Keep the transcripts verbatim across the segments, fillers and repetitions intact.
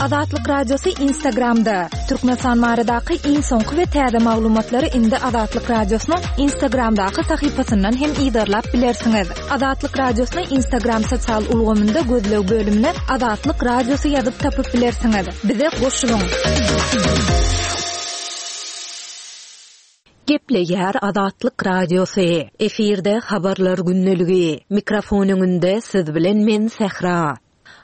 Azatlyk Radiosy Instagramda! Türkmenistan baradaky iň soňky we täze maglumatlary indi Azatlyk Radiosynyň Instagramdaky sahypasyndan hem yzarlap bilersiňiz. Azatlyk Radiosyny Instagram sosial ulgamynda gözleg bölümine Azatlyk Radiosy ýazyp tapyp bilersiňiz. Bize goşulyň! Gepleýär Azatlyk Radiosy. Efirde Habarlar gündeligi. Mikrofon öňünde siz bilen men Sähra.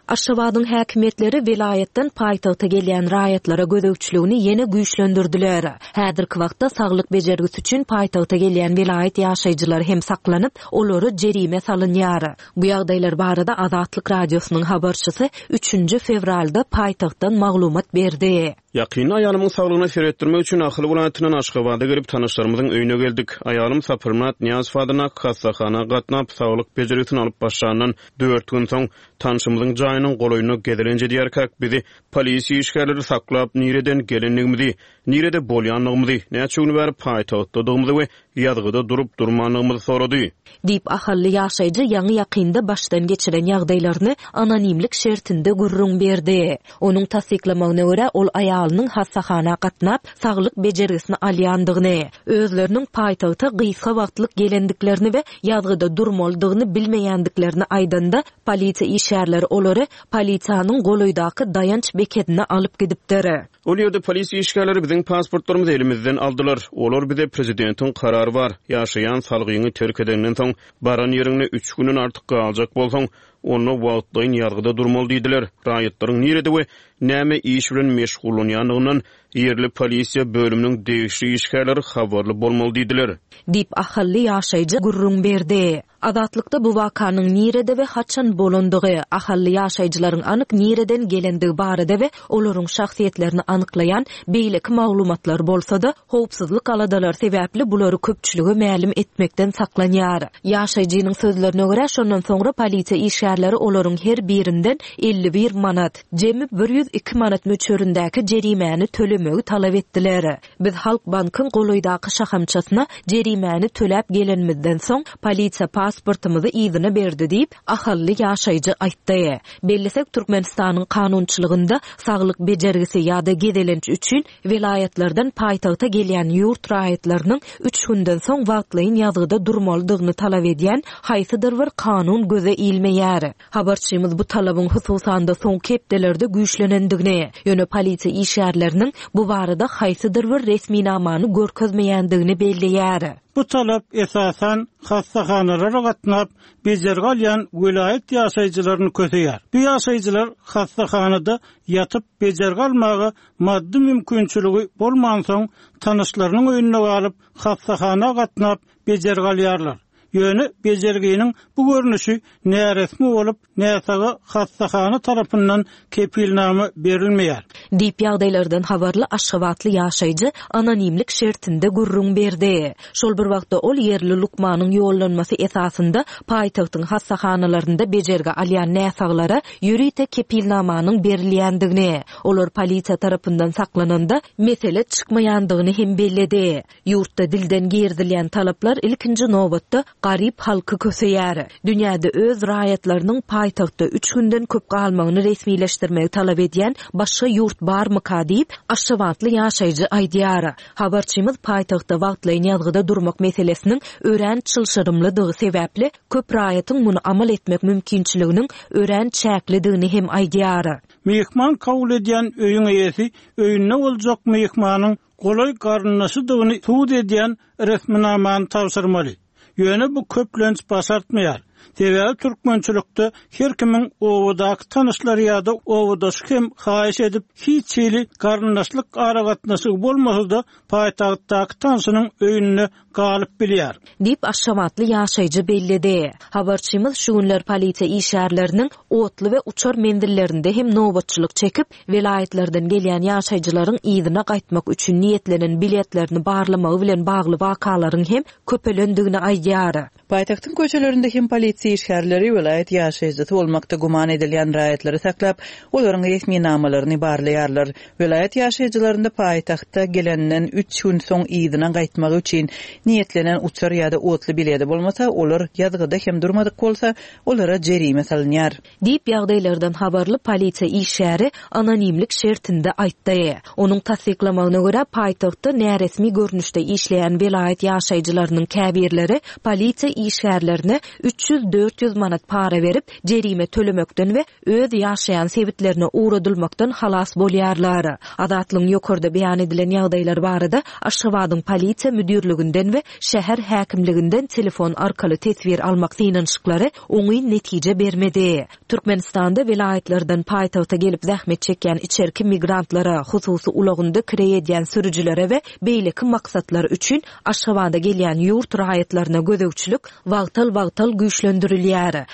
Aşgabadyň häkimiýetleri welaýatdan paýtagta gelýän raýatlara gözegçiligini ýene güýçlendirdiler. Häzirki wagtda saglyk bejergisi üçin paýtagta gelýän welaýat ýaşaýjylary hem saklanyp, olara jerime salynýar. Bu ýagdaýlar barada Azatlyk Radiosynyň habarçysy üçünji fewralda paýtagtdan maglumat berdi. Ýakynda aýalymyň saglygyna seretdirmek üçin Ahal welaýatyndan Aşgabada gelip, tanyşlarymyzyň öýüne geldik. Aýalym Saparmyrat Nyýazow adyndaky hassahana gatnap, saglyk bejergisini alyp başlandan dört gün soň, tanşymyzyň jaýynyň golaýynda gezelenç edýärkäk, bizi polisiýa işgärleri saklap, nireden gelendigimizi, nirede bolýandygymyzy, näçe gün bäri paýtagtdadygymyzy we ýazgyda durup-durmandygymyzy sorady. Diýip, ahally ýaşaýjy ýaňy-ýakynda başdan geçiren ýagdaýlaryny anonimlik şertinde gürrüň berdi. Onuň tassyklamagyna görä, ol aýalynyň hassahana gatnap, saglyk bejergisini alýandygyny, özleriniň paýtagta gysga wagtlyk gelendiklerini we ýazgyda durmalydygyny bilmeýändiklerini aýdanda, polisiýa işgärleri olary polisiýanyň golaýdaky daýanç bekedine alyp gidipdir. Ol ýerde polisiýa işgärleri biziň pasportlarymyzy elimizden aldylar. Olar bize prezidentiň karary bar, ýaşaýan salgyňy terk edenden soň, baran ýeriňde üç günden artyk galjak bolsaň, onda wagtlaýyn ýazgyda durmaly diýdiler. Raýatlaryň nirede we näme iş bilen meşgullanýandygyndan ýerli polisiýa bölüminiň degişli işgärleri habarly bolmaly diýdiler. Diýip, ahally ýaşaýjy gürrüň berdi. Azatlykda bu wakanyň nirede we haçan bolandygy, ahally ýaşaýjylaryň anyk nireden gelendigi barada we olaryň şahsyýetlerini anyklaýan beýleki maglumatlar bolsa-da, howpsuzlyk aladalary sebäpli bulary köpçülige mälim etmekden saklanýar. Ýaşaýjynyň sözlerine görä, şondan soňra polisiýa işgärleri olaryň her birinden elli bir manat, jemi bir ýüz iki manat möçberindäki jerimäni tölemegi talap etdiler. Biz Halkbankyň golaýdaky şahamçasyna jerimäni töläp gelenimizden soň, polisiýa pasportymyzy yzyna berdi diýip, ahally ýaşaýjy aýtdy. Bellesek, Türkmenistanyň kanunçylygynda saglyk bejergisi ýa-da gezelenç üçin welaýatlardan paýtagta gelýän ýurt raýatlarynyň üç günden soň wagtlaýyn ýazgyda durmalydygyny talap edýän haýsydyr bir kanun göze ilmeýär. Habarçymyz bu talabyň hususan-da soňky hepdelerde güýçlenendigini, ýöne polisiýa işgärleriniň bu barada haýsydyr bir resminamany görkezmeýändigini belleýär. Bu talap esasan hassahanalara gatnap bejergi alýan welaýat ýaşaýjylaryny köseýär. Bu ýaşaýjylar hassahanada ýatyp bejergi almaga maddy mümkinçiligi bolmansoň, tanyşlarynyň öýünde galyp hassahana gatnap bejergi alýarlar. Ýöne bejerginiň bu görnüşi näresmi bolup, näsaga hassahana tarapyndan kepilnama berilmeýär. Diýip, ýagdaýlardan habarly aşgabatly ýaşaýjy anonimlik şertinde gürrüň berdi. Şol bir wagtda ol ýerli lukmanyň ýollanmasy esasynda paýtagtyň hassahanalarynda bejergi alýan näsaglara ýörite kepilnamanyň berilýändigini, olar polisiýa tarapyndan saklananda mesele çykmaýandygyny hem belledi. Ýurtda dilden girizilýän talaplar ilkinji nobatda garyp halky köseýär. Dünýäde öz raýatlarynyň paýtagtda üç günden köp galmagyny resmileşdirmegi talap edýän başga ýurt barmyka diýip, aşgabatly ýaşaýjy aýdýar. Habarçymyz paýtagtda wagtlaýyn ýazgyda durmak meselesiniň örän çylşyrymlydygy sebäpli, köp raýatyň muny amal etmek mümkinçiliginiň örän çäklidigini hem aýdýar. Myhman kabul edýän öýüň eýesi öýünde boljak myhmanyň golaý garyndaşydygyny subut edýän resminamany tabşyrmaly. Ýöne bu köplenç başartmaýar. Sebäbi türkmençilikde her kimiň obadaky tanyşlary ýa-da obadaşy hem haýyş edip hiç hili garyndaşlyk aragatnaşygy bolmasa-da paýtagtdaky tanşynyň öýünde galyp bilýär. Diýip, aşgabatly ýaşaýjy belledi. Habarçymyz şu günler polisiýa işgärleriniň otly we uçar menzillerinde hem nobatçylyk çekip, welaýatlardan gelýän ýaşaýjylaryň yzyna gaýtmak üçin niýetlenen biletlerini barlamagy bilen bagly wakalaryň hem köpelendigini aýdýar. Paýtagtyň köçelerinde hem polisiýa Polisiýa işgärleri welaýat ýaşaýjysy bolmakda güman edilýän raýatlary saklap, olaryň resminamalaryny barlaýarlar. Welaýat ýaşaýjylarynda paýtagta gelenden üç gün soň yzyna gaýtmagy üçin niýetlenen uçar ýa-da otly bileti bolmasa, olar ýazgyda hem durmadyk bolsa, olara jerime salynýar. Diýip, ýagdaýlardan habarly polisiýa işgäri anonimlik şertinde aýtdy. Onuň tassyklamagyna görä, paýtagtda näresmi görnüşde işleýän welaýat ýaşaýjylarynyň käbirleri polisiýa işgärlerine üç ýüz-dört ýüz manat para berip, jerime tölemekden we öz ýaşaýan sebitlerine ugradylmakdan halas bolýarlar. Azatlygyň ýokarda beýan edilen ýagdaýlar barada Aşgabadyň polisiýa müdirliginden we şäher häkimliginden telefon arkaly teswir almak synanyşyklary oňyn netije bermedi. Türkmenistanda welaýatlardan paýtagta gelip zähmet çekýän içerki migrantlara, hususy ulagynda kireý edýän sürüjilere we beýleki maksatlar üçin Aşgabada gelýän ýurt raýatlaryna gözegçilik wagtal-wagtal güýçlendirilýär.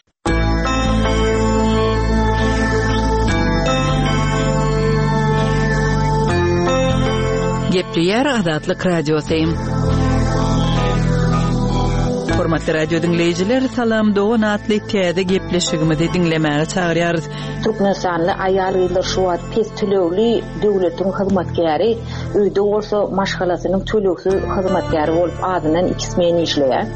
Gepleýär Azatlyk Radiosy. Hormatly radio diňleýjiler, Salam dogan atly täze gepleşigimizi diňlemäge çagyrýarys. Türkmenistanly aýal-gyzlar şu wagt pes tölegli döwletiň hyzmatkäri, öýde bolsa maşgalasynyň tölegsiz hyzmatkäri bolup azyndan iki smen işleýär.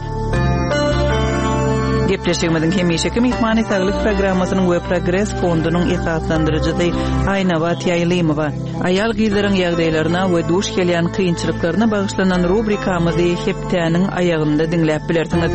Gepleşigimiziň hemişeki myhmany Saglyk programmasynyň we Progres fondunyň esaslandyryjysy Aýnabat Ýaýlymowa. Aýal gyzlaryň ýagdaýlaryna we duş gelýän kynçylyklaryna bagyşlanan rubrikamyzy hepdäniň aýagynda diňläp bilersiňiz.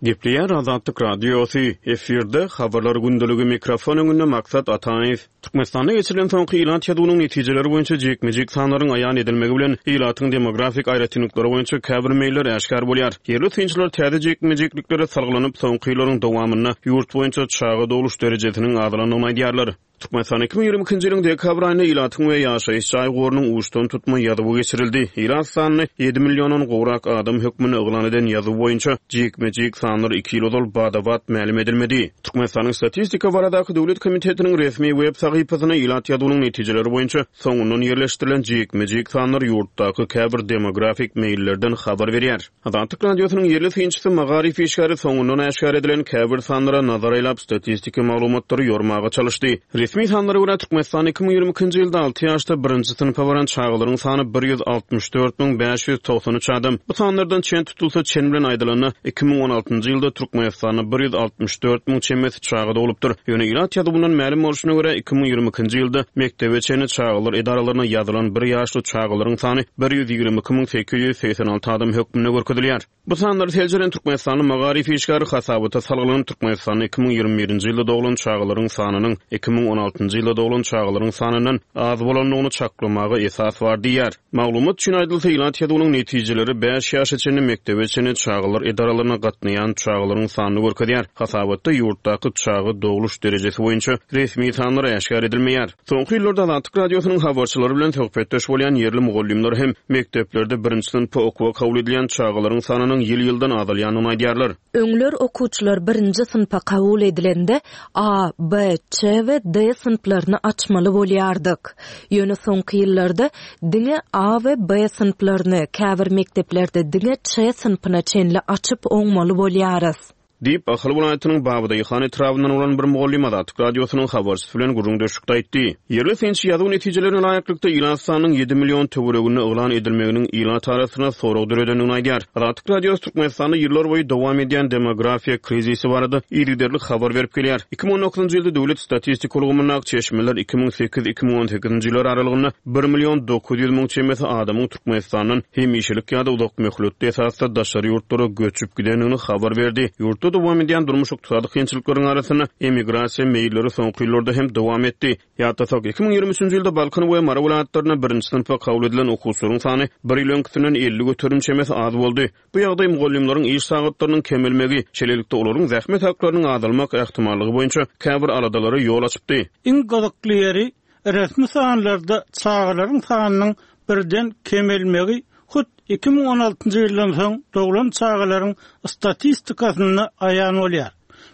Gepleýär Azatlyk Radiosy, efirde habarlar gündeligi mikrofon öňünde Maksat Ataýew. Türkmenistanda geçirilen soňky ilat ýazuwynyň netijeleri boýunça jikme-jik sanlaryň aýan edilmegi bilen ilatyň demografik aýratynlyklary boýunça käbir meýiller äşgär bolýar. Ýerli synçylar täze jikme-jikliklere salgylanyp, soňky ýyllaryň dowamynda ýurt boýunça çaga dogluş derejesiniň azalandygyny aýdýarlar. Türkmenistan iki müň ýigrimi ikinji ýylyň dekabr aýynda ilatyň we ýaşaýyş jaý gorunyň uçdan tutma ýazuwy geçirildi. Ilat sanyny ýedi milliondan gowrak adam hökmünde yglan eden ýazuw boýunça jikme-jik sanlar iki ýyl ozal badabat mälim edilmedi. Türkmenistanyň Statistika baradaky döwlet komitetiniň resmi web sahypasyna ilat ýazuwynyň netijeleri boýunça soňundan ýerleşdirilen jikme-jik sanlar ýurtdaky käbir demografik meýillerden habar berýär. Azatlyk Radiosynyň ýerli synçysy Magaryf işgäri soňundan äşgär edilen käbir sanlara nazar aýlap statistiki maglumatlary ýormaga çalyşdy. Resmi sanlara görä Türkmenistan iki müň ýigrimi ikinji ýylda alty ýaşda birinji synpa baran çagalaryň sany bir ýüz altmyş dört müň bäş ýüz togsan üç adam. Bu sanlardan çen tutulsa çen bilen aýdylanda iki müň on altynjy ýylda Türkmenistanda bir ýüz altmyş dört müň çemesi çaga dogulupdyr. Ýöne ilat ýazuwyndan mälim bolşuna görä iki müň ýigrimi ikinji ýylda mekdebe çenli çagalar edaralaryna ýazylan bir ýaşly çagalaryň sany bir ýüz ýigrimi iki müň sekiz ýüz segsen alty adam hökmünde görkezilýär. Bu sanlary seljeren Türkmenistanly Magaryf işgäri hasabata salgylanyp Türkmenistanda iki müň ýigrimi birinji ýylda doglan çagalaryň sanynyň iki müň on altynjy ýylda doglan çagalaryň sanyndan az bolandygyny çaklamaga esas bar diýýär. Maglumat üçin aýdylsa ilat ýazuwynyň netijeleri bäş ýaşa çenli mekdebe çenli çagalar edaralaryna gatnaýan çagalaryň sanyny görkezýär. Hasabatda ýurtdaky çaga dogluş derejesi boýunça resmi sanlar äşgär edilmeýär. Soňky ýyllarda Azatlyk Radiosynyň habarçylary bilen söhbetdeş bolýan ýerli mugallymlar hem mekdeplerde birinji synpa okuwa kabul edilýän çagalaryň sanynyň ýyl-ýyldan azalýandygyny aýdýarlar. Öňler okuwçylar birinji synpa kabul edilende A, B, Ç we D synplaryny açmaly bolýardyk. Ýöne soňky ýyllarda diňe A we B synplaryny käbir mekdeplerde diňe Ç synpyna çenli açyp oňmaly bolýarys. Diýip, Ahal welaýatynyň Babadaýhan etrabyndan bolan bir mugallym Azatlyk Radiosynyň habarçysy bilen gürrüňdeşlikde aýtdy. Ýerli synçy ýazuw netijelerine laýyklykda ilat sanynyň ýedi million töwereginde yglan edilmeginiň ilat arasynda sorag döredendigini aýdýar. Azatlyk Radiosy Türkmenistanda ýyllar boýy dowam edýän demografiýa krizisi barada yzygiderli habar berip gelýär. Iki müň on dokuzynjy ýylda döwlet statistika ulgamyndaky çeşmeler iki müň sekiz iki müň on sekizinji ýyllar aralygynda bir million dokuz ýüz müň çemesi adamyň Türkmenistandan hemişelik ýa-da uzak möhletli esasda daşary ýurtlara göçüp gidendigini habar berdi. Ýurtda dowam edýän durmuş ykdysady kynçylyklaryň arasynda emigrasiýa meýilleri soňky ýyllarda hem dowam etdi. Ýatlasak, iki müň ýigrimi üçünji ýylda Balkan we Mary welaýatlarynda birinji synpa kabul edilen okuwçylaryň sany bir ýyl öňküsinden elli göterim çemesi az boldy. Bu ýagdaý mugallymlaryň iş sagatlarynyň kemelmegi, şeýlelikde olaryň zähmet haklarynyň azalmak ähtimallygy boýunça käbir aladalara ýol açypdy. Iň gyzykly ýeri resmi sanlarda çagalaryň sanynyň birden kemelmegi hut iki müň on altynjy ýyldan soň doglan çagalaryň statistikasynda aýan bolýar.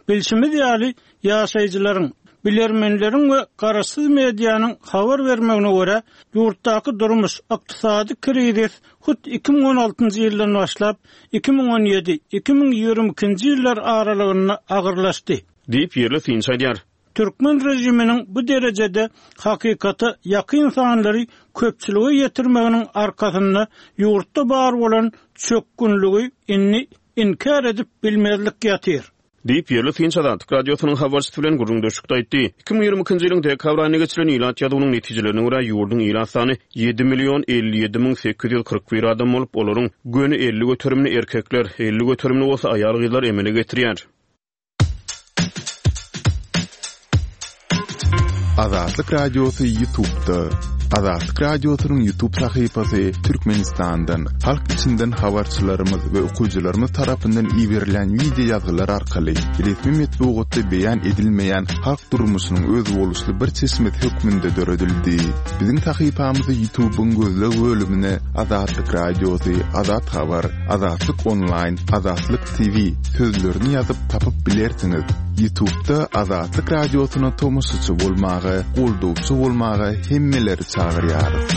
Bilşimiz ýaly, ýaşaýjylaryň Bilermenleriň we garaşsyz medianyň habar bermegine görä, ýurtdaky durmuş ykdysady krizis hut iki müň on altynjy ýyldan başlap iki müň on ýedi iki müň ýigrimi ikinji ýyllar aralygynda agyrlaşdy. Diýip ýerli synçy aýdýar. Türkmen rejiminiň bu derejede hakykata ýakyn sanlary köpçülige ýetirmeginiň arkasynda ýurtda bar bolan çökgünligi indi inkär edip bilmezlik ýatyr. Diýip ýerli synçy Azatlyk radiosynyň habarçysy bilen gürrüňdeşlikde aýtdy. Iki müň ýigrimi ikinji ýylyň dekabr aýynda geçirilen ilat ýazuwynyň netijelerine görä ýurduň ilat sany ýedi million elli ýedi müň sekiz ýüz kyrk bir adam bolup, olaryň göni elli göterimini erkekler, elli göterimini bolsa aýal-gyzlar emele getirýär. Azatlyk Radiosy YouTube'da. Azatlyk Radiosynyň YouTube sahypasy Türkmenistandan, halk içinden habarçylarymyz we okyjylarymyz tarapyndan iberilen video ýazgylar arkaly resmi metbugatda beýan edilmeýän halk durmuşynyň özboluşly bir çeşmesi hökmünde döredildi. Biziň sahypamyzy YouTube'yň gözleg bölümine Azatlyk Radiosy, Azat Habar, Azatlyk Online, Azatlyk T V sözlerini ýazyp tapyp bilersiňiz. YouTube'da Azatlyk Radiosyna tomaşaçy bolmaga, goldawçy bolmaga hemmeleri çagyrýarys.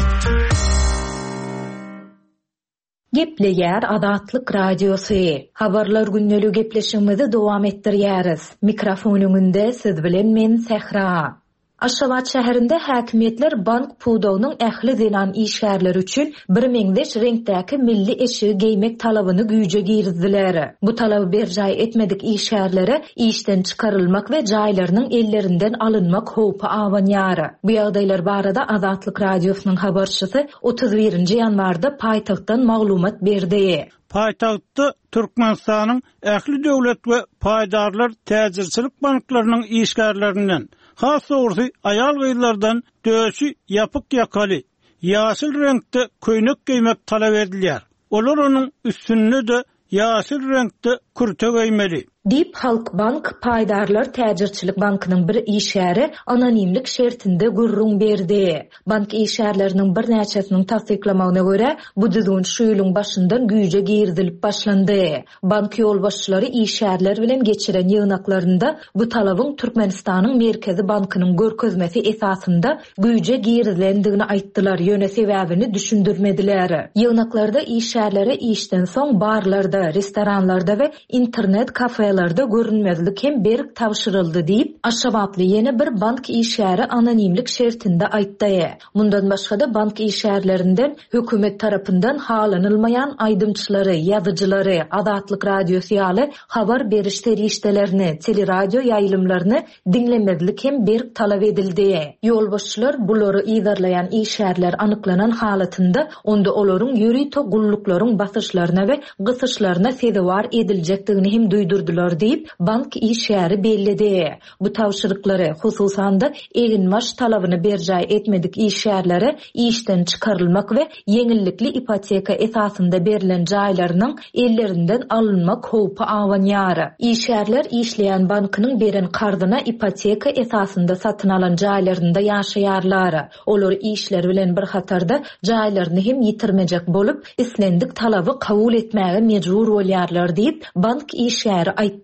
Gepleýär Azatlyk Radiosy. Habarlar günlügi gepleşigimizi dowam etdirýäris. Mikrofon öňünde siz bilen men Sähra. Aşgabat şäherinde häkimiýetler bank pudagynyň ähli zenan işgärleri üçin bir meňzeş reňkdäki milli eşigi geýmek talabyny güýje girizdiler. Bu talaby berjaý etmedik işgärlere işden çykarylmak we jaýlarynyň ellerinden alynmak howpy abanýar. Bu ýagdaýlar barada Azatlyk Radiosynyň habarçysy otuz birinji ýanwarda paýtagtdan maglumat berdi. Paýtagtda Türkmenistanyň ähli döwlet we paýdarlar täjirçilik banklarynyň işgärlerinden, has dogrusu aýal-gyzlardan döşi ýapyk ýakaly, ýaşyl reňkde köýnek geýmek talap edilýär. Olar onuň üstünde de ýaşyl reňkde kürte geýmeli. Diýip Halk Bank paýdarlar täjirçilik bankynyň bir işgäri anonimlik şertinde gürrüň berdi. Bank işgärleriniň birnäçesiniň tassyklamagyna görä, bu düzgün şu ýylyň başyndan güýje girizilip başlandy. Bank ýolbaşçylary işgärler bilen geçiren ýygnaklarynda bu talabyň Türkmenistanyň Merkezi Bankynyň görkezmesi esasynda güýje girizilendigini aýtdylar, ýöne sebäbini düşündirmediler. Ýygnaklarda işgärlere işden soň barlarda, restoranlarda we internet kafelerde görünmezlik hem berk tabşyryldy diýip, Aşgabatly ýene bir bank işgäri anonimlik şertinde aýtdy. Mundan başga-da bank işgärlerinden hökümet tarapyndan halanylmaýan aýdymçylary, ýazyjylary, Azatlyk Radiosy ýaly habar beriş serişdelerini, teleradio ýaýlymlaryny diňlemezlik hem berk talap edildi. Ýolbaşçylar bulary yzarlaýan işgärler anyklanan halatynda onda olaryň ýörite gulluklaryň basyşlaryna we gysyşlaryna sezewar ediljekdigini hem duýdurdylar diýip, bank işgäri belledi. Bu tabşyryklary, hususan-da eginbaş talabyny berjaý etmedik işgärlere işden çykarylmak we ýeňillikli ipoteka esasynda berlen jaýlarynyň ellerinden alynmak howpy abanýar. Işgärler işleýän bankynyň beren karzyna ipoteka esasynda satyn alan jaýlarynda ýaşaýarlar. Olar işleri bilen bir hatarda jaýlaryny hem ýitirmejek bolup, islendik talaby kabul etmäge mejbur bolýarlar diýip, bank işgäri aýtdy.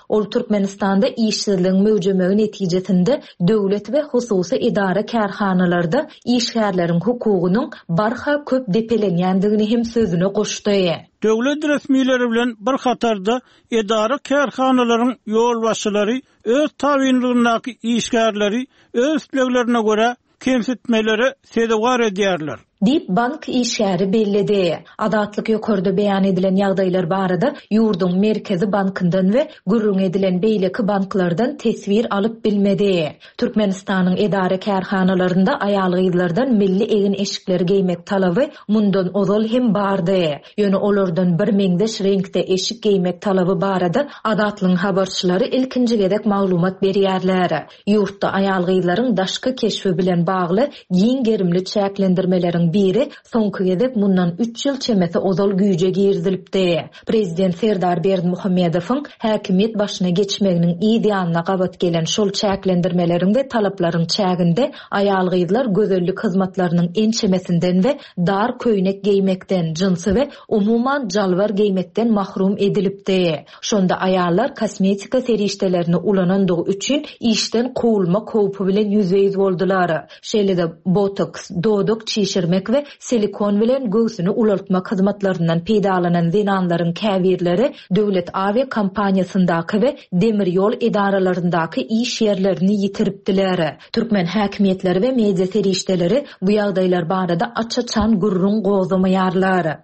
Ol Türkmenistanda işsizligiň möwjemegi netijesinde döwlet we hususy edara kärhanalarda işgärleriň hukugynyň barha köp depelenýändigini hem sözüne goşdy. Döwlet resmileri bilen bir hatarda edara kärhanalaryň ýolbaşçylary öz tabynlygyndaky işgärleri öz isleglerine görä kemsitmelere sezewar edýärler. Diýip bank işgäri belledi. Azatlyk ýokarda beýan edilen ýagdaýlar barada ýurduň Merkezi bankyndan we gürrüň edilen beýleki banklardan teswir alyp bilmedi. Türkmenistanyň edara kärhanalarynda aýal-gyzlardan milli egin-eşikleri geýmek talaby mundan ozal hem bardy. Ýöne olardan bir meňzeş reňkde eşik geýmek talaby barada Azatlygyň habarçylary ilkinji gezek maglumat berýärler. Ýurtda aýal-gyzlaryň daşky keşbi bilen bagly giň gerimli çäklendirmeleriň talaplaryň biri soňky gezek mundan üç ýyl çemesi ozal güýje girizilipdi. Prezident Serdar Berdimuhamedowyň häkimiýet başyna geçmeginiň yz ýanyna gabat gelen şol çäklendirmeleriň we talaplaryň çäginde aýal-gyzlar gözellik hyzmatlarynyň ençemesinden we dar köýnek geýmekden, jynsy we umuman jalbar geýmekden mahrum edilipdi. Şonda aýallar kosmetika serişdelerini ulanandygy üçin işden kowulmak howpy bilen ýüzbe-ýüz boldular. Şeýle-de botoks, dodak çişirmek we silikon bilen göwsüni ulaltmak hyzmatlaryndan peýdalanan zenanlaryň käbirleri döwlet awiýa kompaniýasyndaky we demir ýol edaralaryndaky iş ýerlerini ýitiripdiler. Türkmen häkimiýetleri we media serişdeleri bu ýagdaýlar barada aç-açan gürrüň gozamaýarlar.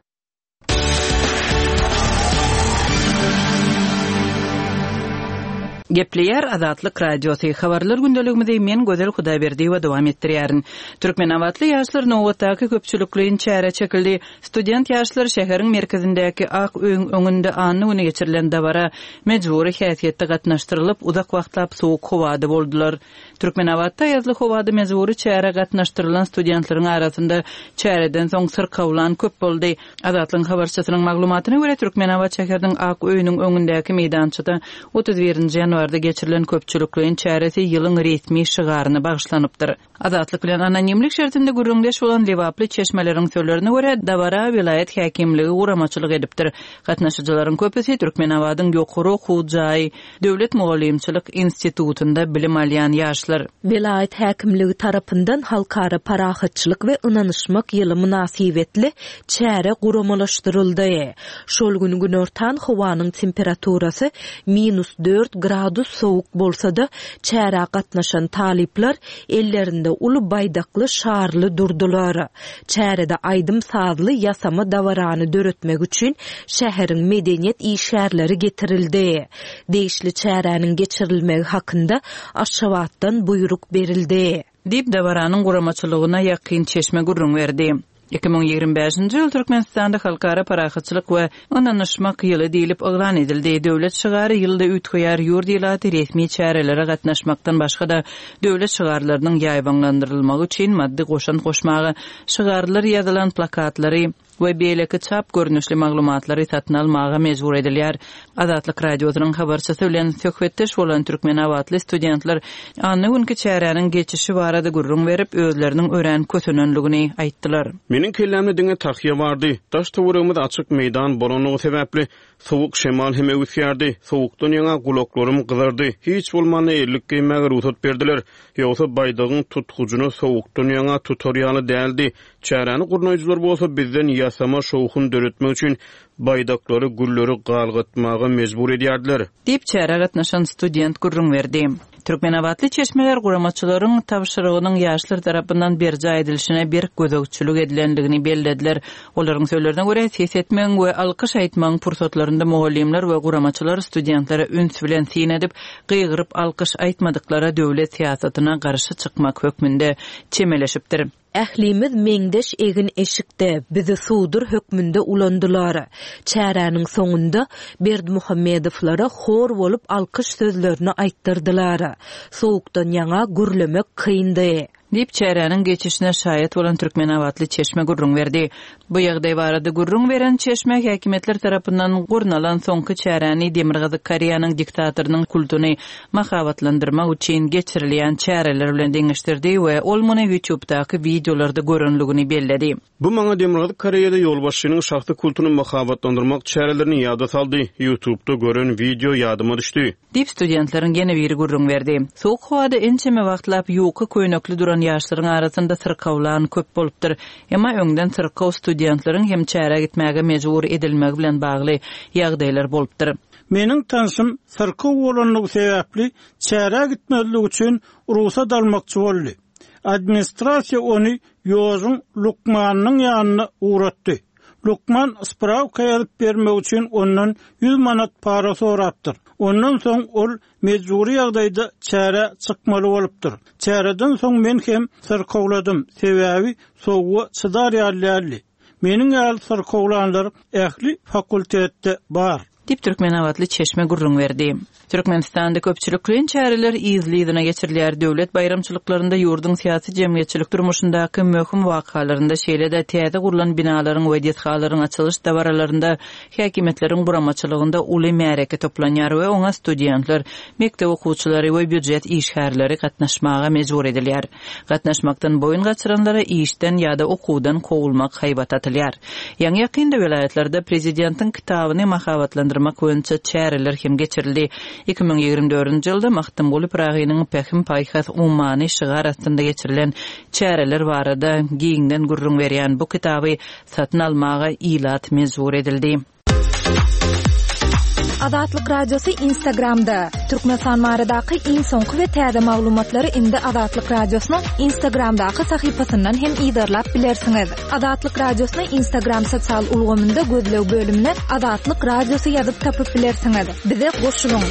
Gepleýär Azatlyk Radiosy. Habarlar gündeligimizi men Gözel Hudaýberdiýewa dowam etdirýärin. Türkmenabatly ýaşlar nobatdaky köpçülikleýin çäre çekildi. Student ýaşlar şäheriň merkezindäki Ak öýüň öňünde anna güni geçirilen dabara mejbury häsiýetde gatnaşdyrylyp, uzak wagtlap soğuk howada boldular. Türkmenabatda ýazly howada mejbury çäre gatnaşdyrylan studentleriň arasynda çäreden soň syrkawlan köp boldy. Azatlygyň habarçysynyň maglumatyna görä Türkmenabat şäheriniň Ak öýüniň öňündäki meýdançada otuz birinji ýanwarda geçirilen köpçülikleýin çäresi ýylyň resmi şygaryna bagyşlanypdyr. Azatlyk bilen anonimlik şertinde gürrüňdeş bolan Lebaply çeşmeleriň sözlerine görä dabara vilayet häkimligi guramaçylyk edipdir. Gatnaşyjylaryň köpüsi Türkmenabadyň ýokary okuw jaýy Döwlet mugallymçylyk institutynda bilim alýan ýaşlar. Vilayet häkimligi tarapyndan halkara parahatçylyk we ynanyşmak ýyly mynasybetli çäre guramalaşdyryldy. Şol gün günortan howanyň temperaturasy minus dört gradus soğuk bolsa da çärä gatnaşan talyplar ellerinde uly baýdakly şarly durdular. Çärede aýdym sazly ýasama dabarany döretmek üçin şäheriň medeniýet işgärleri getirildi. Degişli çäräniň geçirilmegi hakynda Aşgabatdan buýruk berildi. Diýip dabaranyň guramaçylygyna ýakyn çeşme gürrüň berdi. Iki müň ýigrimi bäşinji ýyl Türkmenistanda halkara parahatçylyk we ynanyşmak ýyly diýlip yglan edildi. Döwlet şygary ýylda üýtgeýär, ýurt ilaty resmi çärelere gatnaşmakdan başga-da döwlet şygarlarynyň ýaýbaňlandyrylmagy üçin maddy goşant goşmaga, şygarlar ýazylan plakatlary we beýleki çap görnüşli maglumatlary satyn almaga mejbur edilýär. Azatlyk Radiosynyň habarçysy bilen söhbetdeş bolan Türkmenabatly studentler anna günki çäräniň geçişi barada gürrüň berip, özleriniň örän kösenenligini aýtdylar. Meniň kellämde diňe tahýa bardy. Daş töweregimiz açyk meýdan bolanlygy sebäpli soğuk şemal hem öwüsýärdi. Soğukdan ýaňa gulaklarym gyzardy. Hiç bolmanda ellik geýmäge rugsat berdiler. Ýogsa baýdagyň tutgujyny soğukdan ýaňa tutar ýaly däldi. Çäräni gurnaýjylar bolsa bizden ýasama şowhun döretmek üçin baýdaklary, gülleri galgatmaga mejbur edýärdiler. Diýip çärä gatnaşan student gürrüň berdi. Türkmenabatly çeşmeler guramaçylaryň tabşyrygynyň ýaşlar tarapyndan berjaý edilişine bir gözegçilik edilenligini bellediler. Olaryň sözlerine görä ses etmegiň we alkyş aýtmagyň pursatlarynda mugallymlar we guramaçylar studentlere üns bilen syn edip, gygyryp alkyş aýtmadyklara döwlet syýasatyna garşy çykmak hökmünde çemeleşipdir. Ählimiz meňdeş egin eşikde bizi sudur hökmünde ulandylar. Çäräniň soňunda Berdimuhamedowlara hor bolup alkyş sözlerini aýtdyrdylar. Soğukdan ýaňa gürlemek kyndy. Diýip çäräniň geçişine şaýat bolan Türkmenabatly çeşme gürrüň berdi. Bu ýagdaý barada gürrüň beren çeşme häkimiýetler tarapyndan gurnalan soňky çäräni Demirgazyk Koreýanyň diktatorynyň kultuny mahabatlandyrmak üçin geçirilýän çäreler bilen deňeşdirdi we ol muny YouTube'daky wideolarda görenligini belledi. Bu maňa Demirgazyk Koreýada ýolbaşçynyň şahsy kultuny mahabatlandyrmak çärelerini ýada saldy. YouTube'da gören wideo ýadyma düşdi. Diýip studentleriň ýene biri gürrüň berdi. Soğuk howada ençeme wagtlap ýuka köýnekli duran ýaşlaryň arasynda syrkawlan köp bolupdyr. Emma öňden syrkaw studentleriň hem çärä gitmäge mejbur edilmegi bilen bagly ýagdaýlar bolupdyr. Meniň tanşym syrkaw bolanlygy sebäpli çärä gitmezlik üçin rugsat almakçy boldy. Administrasiýa ony ýozuň lukmanynyň ýanyna ugratdy. Lukman spravka ýazyp bermek üçin ondan ýüz manat para sorapdyr. Ondan soň ol mejbury ýagdaýda çärä çykmaly bolupdyr. Çäreden soň men hem syrkawladym. Sebäbi soğuğa çydar ýaly däldi. Meniň ýaly syrkawlanlar ähli fakultetde bar. Diýip, türkmenabatly çeşme gürrüň berdi. Türkmenistanda köpçülikleýin çäreler yzly-yzyna geçirilýär. Döwlet baýramçylyklarynda, ýurduň syýasy-jemgyýetçilik durmuşyndaky möhüm wakalarynda, şeýle-de täze gurlan binalaryň we desgalaryň açylyş dabaralarynda häkimiýetleriň guramaçylygynda uly märeke toplanýar we oňa studentler, mekdep okuwçylary we býujet işgärleri gatnaşmaga mejbur edilýär. Gatnaşmakdan boýun gaçyranlara işden ýa-da okuwdan kowulmak haýbat atylýar. Ýaňy-ýakynda welaýatlarda prezidentiň kitabyny mahabatlandyrmak boýunça çäreler hem geçirildi. Iki müň ýigrimi dördünji ýylda Magtymguly Pyragynyň Pähim-paýhas ummany şygar astynda geçirilen çäreler barada giňden gürrüň berýän bu kitaby satyn almaga ilat mejbur edildi. Azatlyk Radiosy Instagramda. Türkmenistan baradaky iň soňky we täze maglumatlary indi Azatlyk Radiosynyň Instagramdaky sahypasyndan hem yzarlap bilersiňiz. Azatlyk Radiosyny Instagram sosial ulgamynda gözleg bölümine Azatlyk Radiosy ýazyp tapyp bilersiňiz. Bize goşulyň.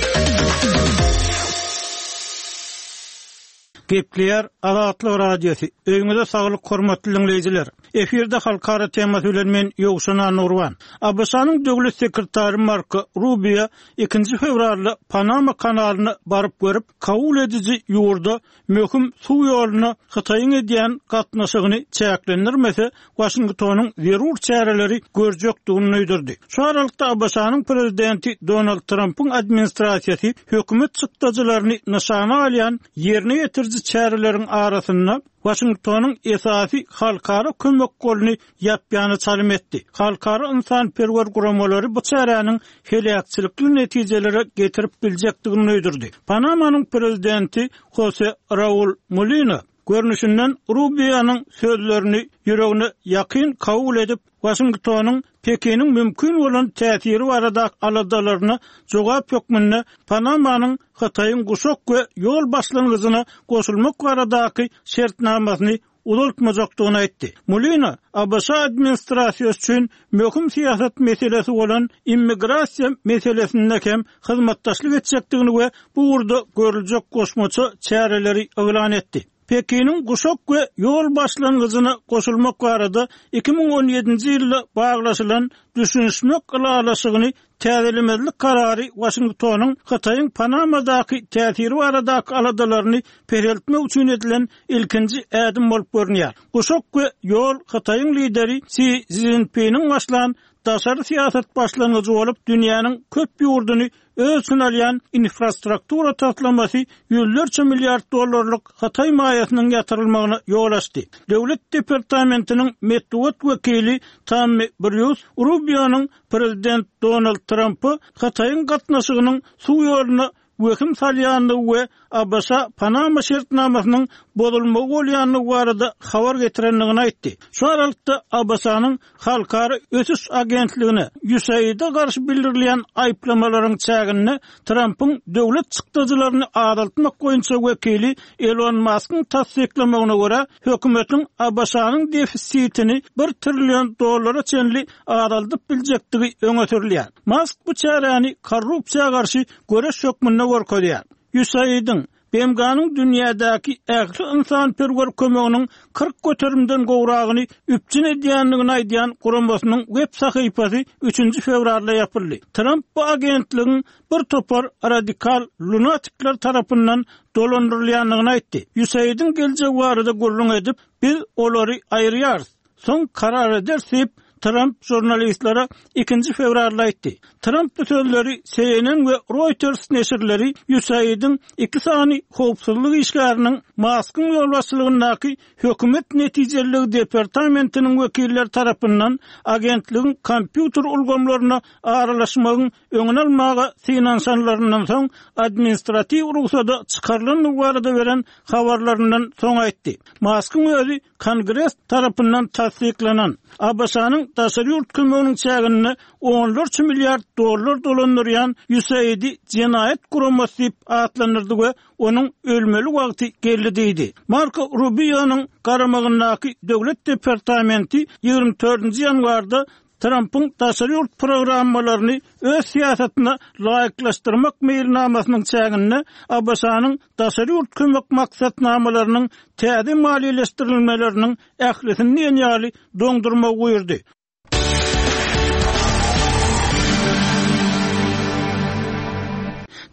Gepleýär Azatlyk Radiosy. Öýüňize saglyk hormatly diňleýjiler. Efirde halkara temasy bilen men Ýowşan Annagurban. ABŞ-nyň döwlet sekretary Marko Rubio ikinji fewralda Panama kanalyna baryp görüp, kabul ediji ýurda möhüm suw ýoluna Hytaýyň edýän gatnaşygyny çäklendirmese, Waşingtonyň zerur çäreleri görjekdigini duýdurdy. Şu aralykda ABŞ-nyň prezidenti Donald Trampyň administrasiýasy hökümet çykdajylaryny nyşana alýan ýerine ýetiriji çäreleriň arasynda Waşingtonyň esasy halkara kömek goluny ýapýana çalym etdi. Halkara ynsanperwer guramalary bu çäräniň heläkçilikli netijelere getirip biljekdigini duýdurdy. Panamanyň prezidenti Hose Raul Mulino görnüşinden Rubionyň sözlerini ýüregine ýakyn kabul edip, Waşingtonyň Pekiniň mümkin bolan täsiri barada aladalaryna jogap hökmünde Panamanyň Hytaýyň guşak we ýol başlangyjyna goşulmak baradaky şertnamasyny uzaltmajakdygyny aýtdy. Mulino ABŞ administrasiýasy üçin möhüm syýasat meselesi bolan immigrasiýa meselesinde hem hyzmatdaşlyk etjekdigini we bu ugurda görüljek goşmaça çäreleri yglan etdi. Pekiniň guşak we ýol başlangyjyna goşulmak barada iki müň on ýedinji ýylda baglaşylan düşünişmek ylalaşygyny täzelemezlik karary Waşingtonyň Hytaýyň Panamadaky täsiri baradaky aladalaryny peseltmek üçin edilen ilkinji ädim bolup görünýär. Guşak we ýol Hytaýyň lideri Si Szinpiniň başlan daşary syýasat başlangyjy bolup, dünýäniň köp ýurduny öz içine alýan infrastruktura taslamasy ýüzlerçe milliard dollarlyk Hytaý maýasynyň ýatyrylmagyna ýol açdy. Döwlet departamentiniň metbugat wekili Tammy Brýus Rubionyň prezident Donald Trampy Hytaýyň gatnaşygynyň suw ýoluna wehim salýandygy we ABŞ Panama şertnamasynyň bozulmagy bolýandygy barada habar getirendigini aýtdy. Şu aralykda ABŞ-nyň Halkara ösüş agentligine USAID-e garşy bildirilýän aýyplamalaryň çäginde Trampyň döwlet çykdajylaryny azaltmak boýunça wekili Elon Maskyň tassyklamagyna görä, hökümetiň ABŞ-nyň defisitini bir trillion dollara çenli azaldyp biljekdigi öňe sürülýär. Mask bu çäräni korrupsiýa garşy göreş hökmünde görkezýär. USAID-iň, B M G-nyň dünýädäki ähli ynsanperwer kömeginiň kyrk göterimden gowragyny üpjün edýändigini aýdýan guramasynyň web sahypasy üçünji fewralda ýapyldy. Tramp bu agentligiň bir topar radikal lunatikler tarapyndan dolandyrylýandygyny aýtdy. USAID-iň geljegi barada gürrüň edip, biz olary aýyrýarys, soň karar ederis diýip, Tramp žurnalistlere ikinji fewralda aýtdy. Tramp bu sözleri C N N we Reuters neşirleri USAID-iň iki sany howpsuzlyk işgäriniň Maskyň ýolbaşçylygyndaky hökümet netijeliligi departamentiniň wekilleri tarapyndan agentligiň kompýuter ulgamlaryna aralaşmagyň öňüni almaga synanyşanlaryndan soň administratiw rugsada çykarylandygy barada beren habarlaryndan soň aýtdy. Maskyň özi Kongres tarapyndan tassyklanan A B Ş-nyň daşary ýurt kömeginiň çäginde onlarça milliard dollar dolandyrýan USAID-i jenaýat guramasy diýip atlandyrdy we onuň ölmeli wagty geldi diýdi. Marko Rubionyň garamagyndaky döwlet departamenti ýigrimi dördünji ýanwarda Trumpyň daşary ýurt programmalaryny öz syýasatyna laýyklaşdyrmak meýilnamasynyň çäginde A B Ş-nyň daşary ýurt kömek maksatnamalarynyň täze maliýeleşdirilmeleriniň ählisini diýen ýaly doňdurmagy buýurdy.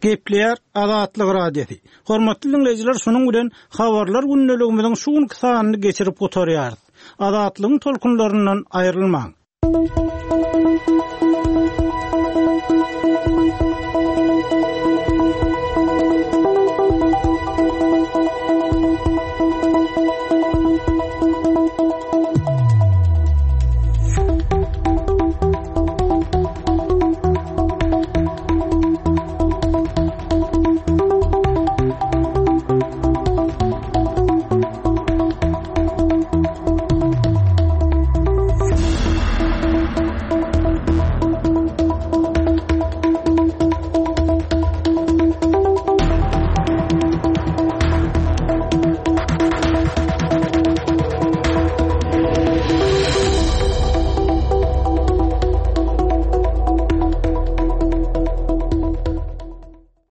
Gepleýär Azatlyk Radiosy. Hormatly diňleýjiler, şunuň bilen habarlar gündeligimiziň şu günki sanyny geçirip gutarýarys. Azatlygyň tolkunlaryndan aýrylmaň.